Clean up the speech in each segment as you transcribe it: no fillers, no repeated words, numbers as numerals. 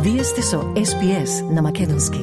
Вие сте со SPS на македонски.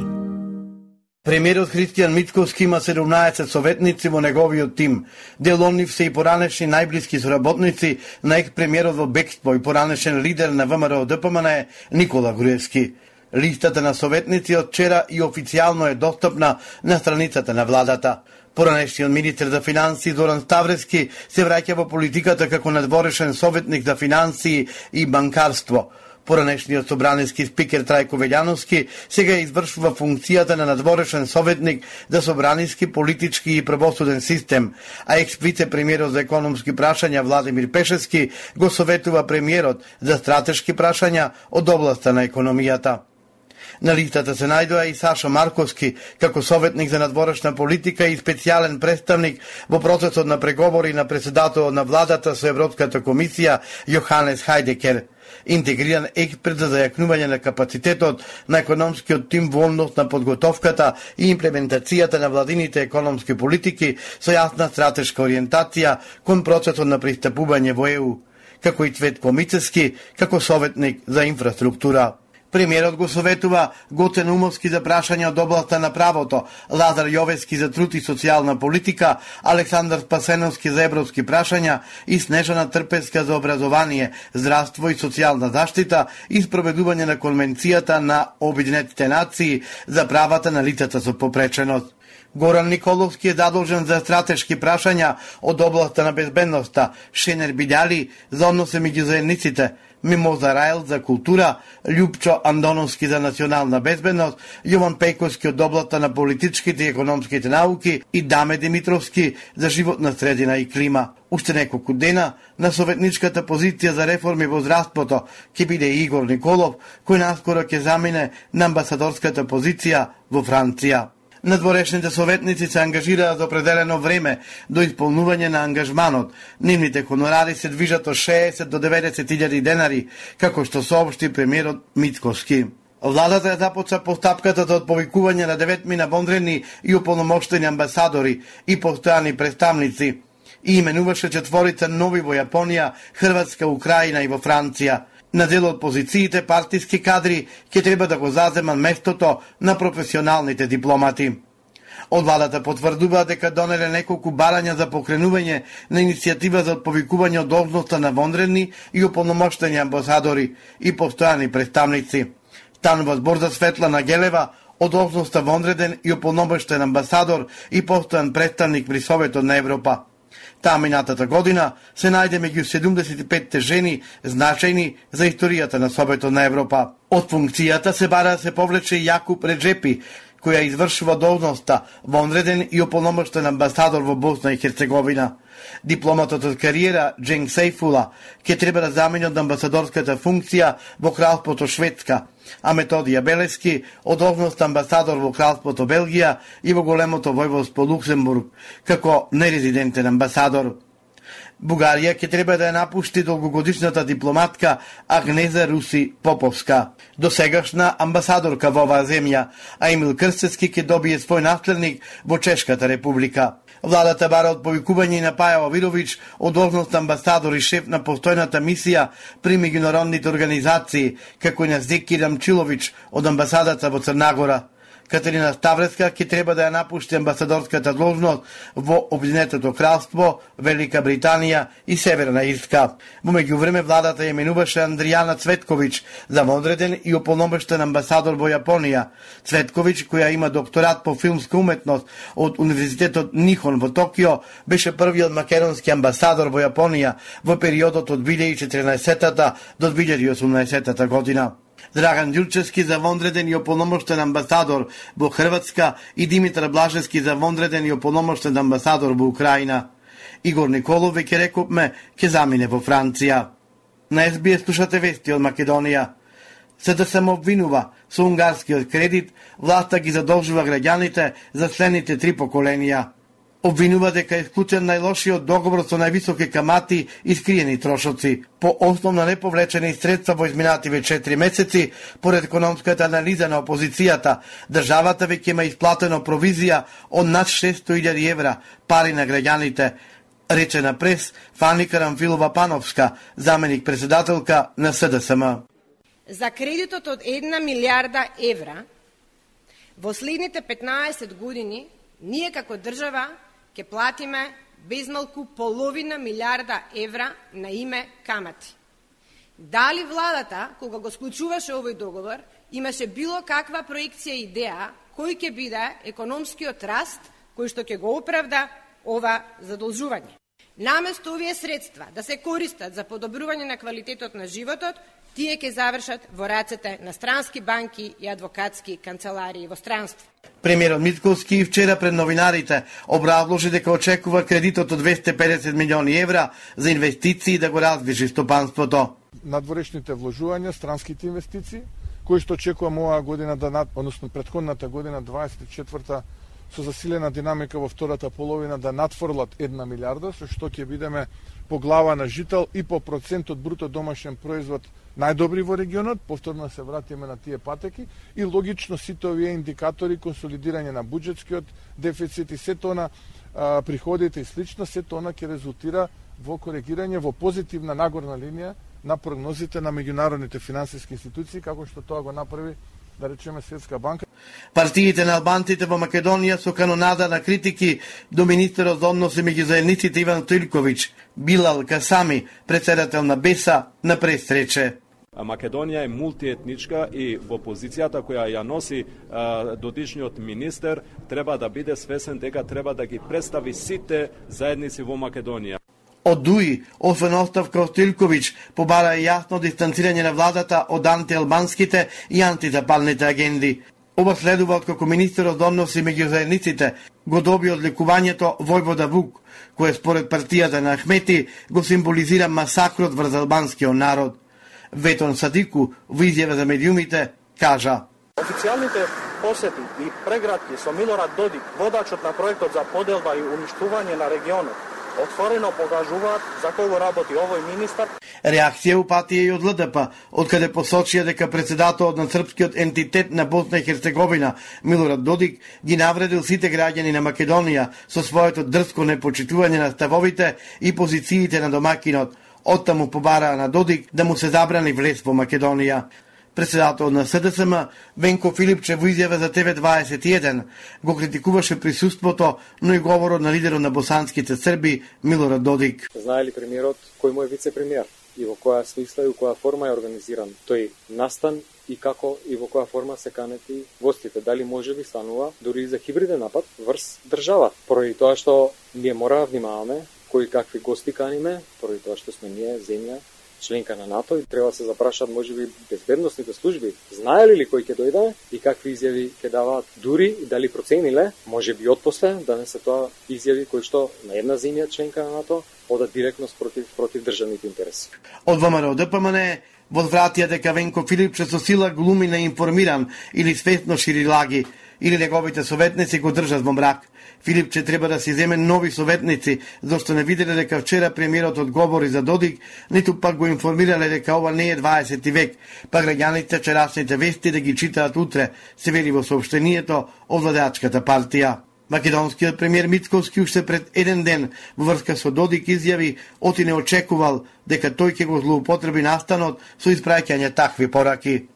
Премиерот Христијан Мицковски има 17 советници во неговиот тим. Дел од нив се и поранешни најблиски соработници на екс-премиерот во бегство и поранешен лидер на ВМРО-ДПМН Никола Груевски. Листата на советници од вчера и официјално е достапна на страницата на владата. Поранешниот министер за финансии Зоран Ставрески се враќа во политиката како надворешен советник за финансии и банкарство. Поранешниот собраниски спикер Трајко Велјановски сега извршува функцијата на надворешен советник за собраниски, политички и правосуден систем, а екс-вице-премиерот за економски прашања Владимир Пешевски го советува премиерот за стратешки прашања од областа на економијата. На листата се најдоа и Сашо Марковски како советник за надворешна политика и специјален представник во процесот на преговори на председателот на владата со Европската комисија Јоханес Хајдекер. Интегриран експерт за зајакнување на капацитетот на економскиот тим во однос на подготовката и имплементацијата на владините економски политики со јасна стратешка ориентација кон процесот на пристапување во ЕУ, како и Цветко Мицевски како советник за инфраструктура. Премиерот го советува Гоце Наумовски за прашања од областа на правото, Лазар Јовески за труд и социјална политика, Александар Спасеновски за европски прашања и Снежана Трпеска за образование, здравство и социјална заштита и спроведување на Конвенцијата на Обединетите нации за правата на лицата со попреченост. Горан Николовски е задолжен за стратешки прашања од областа на безбедноста, Шенер Бидјали за односе меѓу заедниците, Мимоза Рајл за култура, Љупчо Андоновски за национална безбедност, Јован Пејковски од областа на политичките и економските науки и Даме Димитровски за животна средина и клима. Уште неколку дена на советничката позиција за реформи во здравството ќе биде Игор Николов, кој наскоро ќе замине на амбасадорската позиција во Франција. Надворешните советници се ангажираат за определено време до исполнување на ангажманот. Нивните хонорари се движат од 60 до 90.000 денари, како што соопшти премиерот Мицковски. Владата ја започна постапката за отповикување на 9 вонредни и уполномоштени амбасадори и постојани представници и именуваше 4 нови во Јапонија, Хрватска, Украина и во Франција. На дел од позициите партиски кадри ќе треба да го заземат местото на професионалните дипломати. Од владата потврдува дека донеле неколку барања за покренување на иницијатива за отповикување од должноста на вонредни и уполномоштени амбасадори и постојани представници. Станува збор за Светлана Гелева од должноста вонреден и уполномоштен амбасадор и постојан представник при Советот на Европа. Таа минатата година се најде меѓу 75 жени значајни за историјата на Советот на Европа. Од функцијата се бара да се повлече Јакуп Реджепи, која извршува должноста вонреден и уполномоштен амбасадор во Босна и Херцеговина. Дипломатот од кариера Дженг Сейфула ќе треба да замени од амбасадорската функција во Кралството Шведска, а Методија Белески од должност амбасадор во Кралството Белгија и во Големото војводство Луксембург како нерезидентен амбасадор. Бугарија ќе треба да ја напушти долгогодишната дипломатка Агнеза Руси Поповска, досегашна амбасадорка во оваа земја, а Емил Крстевски ќе добие свој наследник во Чешката република. Владата бара отповикување на Паја Овировиќ од должност амбасадор и шеф на постојната мисија при меѓународните организации, како и на Зеки Рамчиловиќ од амбасадата во Црнагора. Катерина Ставреска ќе треба да ја напушти амбасадорската должност во Обединетото кралство, Велика Британија и Северна Ирска. Во меѓувреме владата ја именуваше Андријана Цветковиќ за вонреден и уполномоштен амбасадор во Јапонија. Цветковиќ, која има докторат по филмска уметност од Универзитетот Нихон во Токио, беше првиот македонски амбасадор во Јапонија во периодот од 2014 до 2018 година. Драган Ѓурчевски за вонреден и уполномоштен амбасадор во Хрватска и Димитар Блажевски за вонреден и уполномоштен амбасадор во Украина. Игор Николов, веќе рековме, ќе замине во Франција. На СБС слушате вести од Македонија. се да се обвинува со унгарскиот кредит, власта ги задолжува граѓаните за следните 3 поколенија. Обвинува дека е исклучен најлошиот договор со највисоки камати и скриени трошоци. По основно неповлечени средства во изминативе 4 месеци, поред економската анализа на опозицијата, државата веќе има исплатено провизија од над 600.000 евра, пари на граѓаните, рече на прес Фани Карамфилова Пановска, заменик председателка на СДСМ. за кредитот од 1 милиарда евра, во следните 15 години ние како држава ќе платиме безмалку половина милиарда евра на име камати. Дали владата, кога го склучуваше овој договор, имаше било каква проекција и идеја кој ќе биде економскиот раст кој што ќе го оправда ова задолжување? Наместо овие средства да се користат за подобрување на квалитетот на животот, тие ќе завршат во рацете на странски банки и адвокатски канцеларии во странство. Премиерот Мицковски вчера пред новинарите образложи дека очекува кредитот од 250 милиони евра за инвестиции да го раздвижи стопанството. Надворешните вложувања, странските инвестиции, кои што очекувам оваа година односно претходната година 24-та со засилена динамика во втората половина да надфрлат 1 милиарда, со што ќе бидеме по глава на жител и по процент од бруто домашен производ најдобри во регионот, повторно се вратиме на тие патеки и логично сите овие индикатори, консолидирање на буџетскиот дефицит и сето она приходите и слично, сето она ќе резултира во коригирање во позитивна нагорна линија на прогнозите на меѓународните финансиски институции, како што тоа го направи, да речеме, Светска банка. Партиите на албанците во Македонија со канонада на критики до министерот за односи меѓу заедниците Иван Стоилковиќ, Билал Касами, председател на БЕСА, на пресрече. Македонија е мултиетничка и во позицијата која ја носи додишниот министер треба да биде свесен дека треба да ги представи сите заедници во Македонија. Од ДУИ, освен оставка од Стоилковиќ, побара и јасно дистанцирање на владата од антиалбанските и антизапалните агенди. Ова следува откако министерот за односи меѓу заедниците го доби одликувањето Војвода Вук, кое според партијата на Ахмети го символизира масакрот врз албанскиот народ. Ветон Садику во изјава за медиумите кажа: Официјалните посети и прегратки со Милорад Додик, водачот на проектот за поделба и уништување на регионот, отворено покажуваат за кого работи овој министар. Реакција упатија и од ЛДП, откаде посочија дека председателот на српскиот ентитет на Босна и Херцеговина, Милорад Додик, ги навредил сите граѓани на Македонија со своето дрско непочитување на ставовите и позициите на домакинот. Оттаму побараа на Додик да му се забрани влез во Македонија. Председател на СДСМ Венко Филипче во изјава за ТВ21 го критикуваше присуството, но и говорот на лидерот на босанските срби Милорад Додик. Знае ли премиерот кој му е вице-премиер и во која смисла и во која форма е организиран тој настан и како и во која форма се канети гостите? Дали може би станува дури и за хибриден напад врз држава? Поради тоа што ние мора да внимаваме кои какви гости каниме, поради тоа што сме ние земја членка на НАТО и треба да се запрашат можеби безбедносните служби, знаеле ли кој ќе дојде и какви изјави ќе даваат, дури и дали процениле, можеби отпосле да не се тоа изјави кои што на една земја членка на НАТО одат директно против државните интереси. Од ВМРО ДПМН возвратија дека Венко Филипче со сила глуми неинформиран или свесно шири лаги, или неговите советници го држат во мрак. Филипче треба да си земе нови советници, зашто не виделе дека вчера премиерот одговори за Додик, ниту пак го информирале дека ова не е 20 век, па граѓаните вчерашните вести да ги читаат утре, се вели во соопштението од владеачката партија. Македонскиот премиер Мицковски уште пред еден ден во врска со Додик изјави оти не очекувал дека тој ќе го злоупотреби настанот со испраќање такви пораки.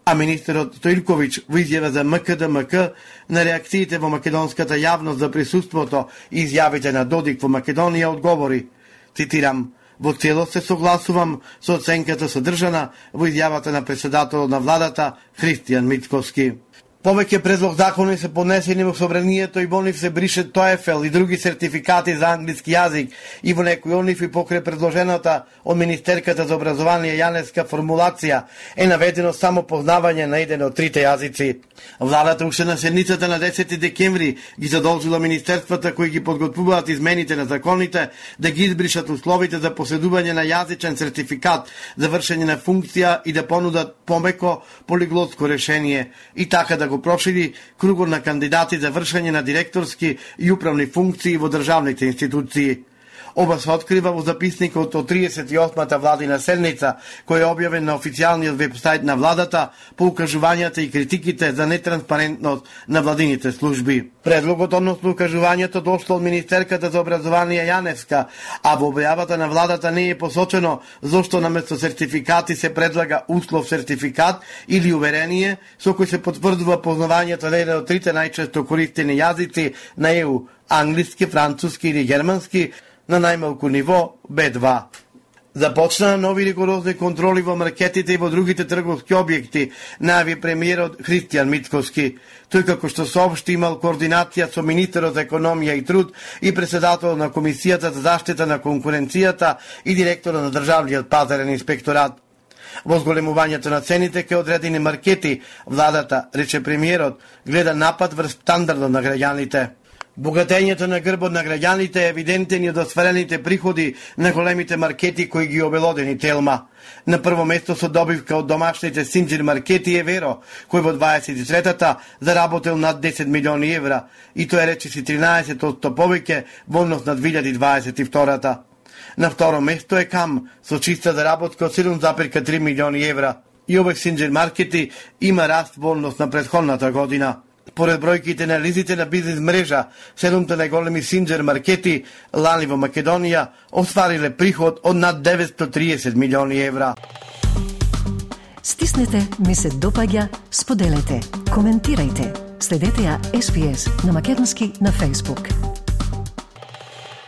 А министерот Стоилковиќ во изјава за МКДМК на реакциите во македонската јавност за присуството и изјавите на Додик во Македонија одговори, цитирам: "Во целост се согласувам со оценката содржана во изјавата на председателот на владата Христијан Мицковски." Повеќе предлог закони се поднесени во собранието и во нив се брише TOEFL и други сертификати за англиски јазик и во некои од нив и покрај предложената од министерката за образование јанеска формулација е наведено само познавање на еден од трите јазици. Владата уште на седницата на 10 декември ги задолжила министерствата кои ги подготвуваат измените на законите да ги избришат условите за поседување на јазичен сертификат за вршење на функција и да понудат помеко полиглотско решение и така да го прошири кругот на кандидати за вршење на директорски и управни функции во државните институции. Ова се открива во записникот од 38-та владина седница, кој е објавен на официјалниот вебсајт на владата по укажувањата и критиките за нетранспарентност на владините служби. Предлогот односно укажувањето дошло од министерката за образование Јаневска, а во објавата на владата не е посочено зошто наместо сертификати се предлага услов сертификат или уверение со кој се потврдува познавањето на еден од трите најчесто користени јазици на ЕУ, англиски, француски или германски, на најмалку ниво B2. Започнаа нови ригорозни контроли во маркетите и во другите трговски објекти, најави премиерот Христијан Мицкоски. Тој како што соопшти имал координација со министерот за економија и труд и председател на Комисијата за заштита на конкуренцијата и директорот на Државниот пазарен инспекторат. Во зголемувањето на цените кај одредени маркети, владата, рече премиерот, гледа напад врз стандардот на граѓаните. Богатењето на грбот на граѓаните е евидентен и од осварените приходи на големите маркети кои ги обелодени Телма. На прво место со добивка од домашните Синџир маркети е Веро, кој во 23-та заработил над 10 милиони евра, и тоа е речиси 13% повеќе во однос на 2022-та. На второ место е Кам, со чиста заработка од 7,3 милиони евра. И овој Синџир маркети има раст во однос на претходната година. Поред бројките анализите на бизнес мрежа, 7 најголеми Синџир маркети лани во Македонија оствариле приход од над 930 милиони евра. Стиснете, ми се допаѓа, споделете, коментирајте. Следете ја SPS на македонски на Facebook.